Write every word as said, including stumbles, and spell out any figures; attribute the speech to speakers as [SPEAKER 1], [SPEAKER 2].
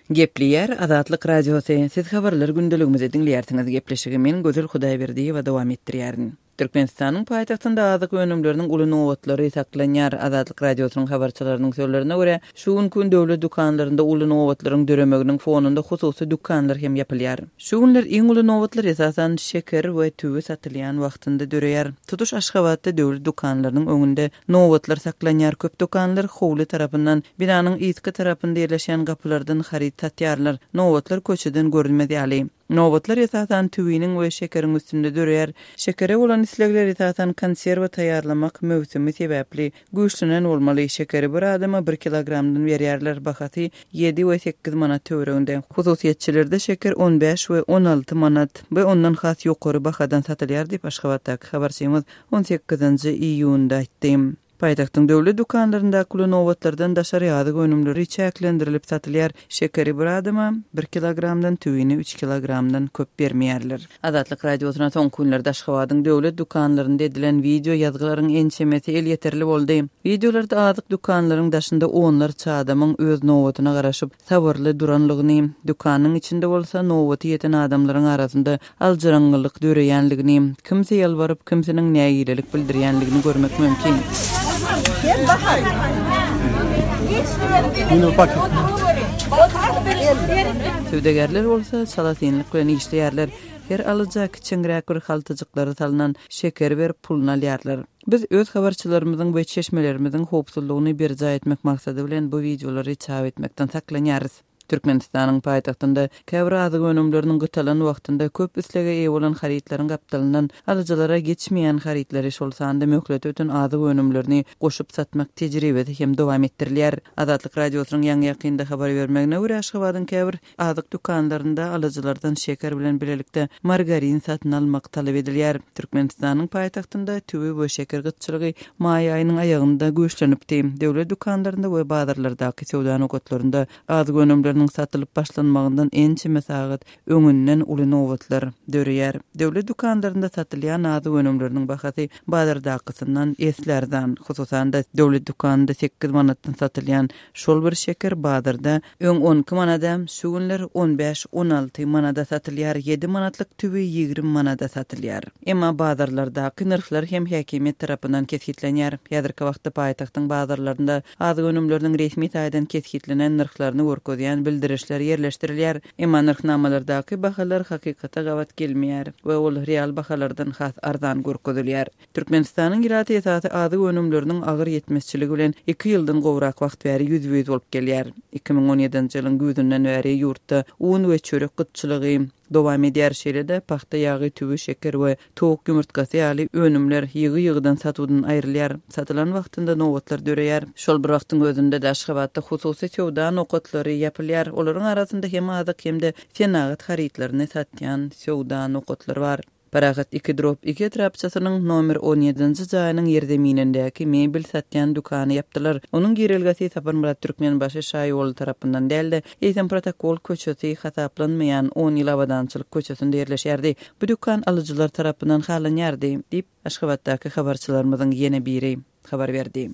[SPEAKER 1] Gepleýär Azatlyk Radiosy. Siz habarlar gündeligimizi diňleýärsiňiz. Gepleşigi men Gözel Hudaýberdiýewa dowam etdirýärin. Türkmenistanyň paýtagtynda azyk önümleriniň uly nobatlary saklanýar. Azatlyk Radiosynyň habarçylarynyň sözlerine görä, şu günki döwlet dükanlarynda uly nobatlaryň döremeginiň fonunda hususy dükanlar hem ýapylýar. Şu günler iň uly nobatlar esasan şeker we tüwi satylýan wagtynda döreýär. Tutuş Aşgabatda döwlet dükanlarynyň öňünde nobatlar saklanýar. Köp dükanlar howly tarapyndan, binanyň yzky tarapynda ýerleşen gapylardan haryt satýarlar. Nobatlar köçeden görünmez ýaly. Nobatlar esasan tüwiniň we şekeriň üstünde döreýär. Şekere bolan islegler esasan konserwa taýýarlamak möwsümi sebäpli güýçlenen bolmaly. Şekeri bir adama bir kilogramdan berýärler. Bahasy ýedi we sekiz manat töwereginde. Hususyýetçilerde şeker on bäş we on alty manat we ondan has ýokary bahadan satylýar diýip Aşgabatdaky habarçymyz on sekizinji iýunda aýtdy. Paýtagtyň döwlet dükanlaryndaky uly nobatlardan daşary azyk önümleri çäklendirilip satylýar. Şekeri bir adama bir kilogramdan, tüwini üç kilogramdan köp bermeýärler. Azatlyk Radiosyna soňky günlerde Aşgabadyň döwlet dükanlarynda edilen video ýazgylaryň ençemesi elýeterli boldy. Videolarda azyk dükanlaryň daşynda onlarça adamyň öz nobatyna garaşyp sabyrly duranlygyny, dükanyň içinde bolsa nobaty ýeten adamlaryň arasynda aljyraňňylyk döreýänligini, kimse ýalbaryp, kimsiniň nägilelik bildirýänligini görmek mümkin. Söwdagärler bolsa çalasynlyk bilen işleýärler. Her alyja kiçeňräk bir haltajyklary salynan şeker berip puluny alýarlar. Biz öz habarçylarymyzyň we çeşmelerimiziň howpsuzlygyny berjaý etmek maksady bilen bu videolary çap etmekden saklanýarys. Türkmenistanyň paýtagtynda käbir azyk önümleriniň gytalan wagtynda köp islege eýe bolan harytlaryň gapdalyndan alyjylara geçmeýän harytlary, şol sanda möhlet öten azyk önümlerini goşup satmak tejribesi hem dowam etdirilýär. Azatlyk Radiosynyň ýaňy ýakynda habar bermegine görä, Aşgabadyň käbir azyk dükanlarynda alyjylardan şeker bilen birlikde margarin satyn almak talap edilýär. Türkmenistanyň paýtagtynda tüwi we şeker gytçylygy maý aýynyň aýagynda güýçlenipdi. Döwlet dükanlarynda we bazarlardaky söwda nokatlarynda azyk önümleriniň satylyp başlanmagyndan ençeme sagat öňünden uly nobatlar döreýär. Döwlet dükanlarynda satylýan azyk önümleriniň bahasy bazardakysyndan esli arzan. Hususan-da döwlet dükanynda sekiz manatdan satylýan şol bir şeker bazarda öň on iki manada, şu günler on bäş on alty manada satylýar. Ýedi manatlyk tüwi ýigrimi manada satylýar. Emma bazarlardaky nyrhlar hem häkimiýet tarapyndan kesgitlenýär. Häzirki wagtda paýtagtyň bazarlarynda azyk önümleriniň resmi taýdan kesgitlenen nyrhlaryny görkezýän bildirişler ýerleşdirilýär. Emma nyrhnamalardaky bahalar hakykata gabat gelmeýär we ol real bahalardan has arzan görkezilýär. Türkmenistanyň ilaty esasy azyk önümleriniň agyr ýetmezçiligi bilen iki ýyldan gowrak wagt bäri ýüz-ýüz bolup gelýär. Iki müň on ýedinji ýylyň güýzünden bäri ýurtda un we çörek gytçylygy dowam edýär. Şeýle-de pagta ýagy, tüwi, şeker we towuk ýumurtgasy ýaly önümler ýygy-ýygydan satuwdan aýrylýar. Satylan wagtynda nobatlar döreýär. Şol bir wagtyň özünde-de Aşgabatda hususy söwda nokatlary ýapylýar. Olaryň arasynda hem azyk hem-de senagat harytlaryny satýan söwda nokatlary bar. Parahat iki drop iki etrapçasynyň nomer on ýedinji jaýynyň ýerzeminindäki mebel satýan dükany ýapdylar. Onuň girelgesi Saparmyrat Türkmenbaşy şaýoly tarapyndan däldi. Eýsem protokol köçesi hasaplanmaýan on ýyl abadançylyk köçesinde ýerleşýärdi. Bu dükan alyjylar tarapyndan halanýardy, diýip Aşgabatdaky habarçylarymyzyň ýene biri habar berdi.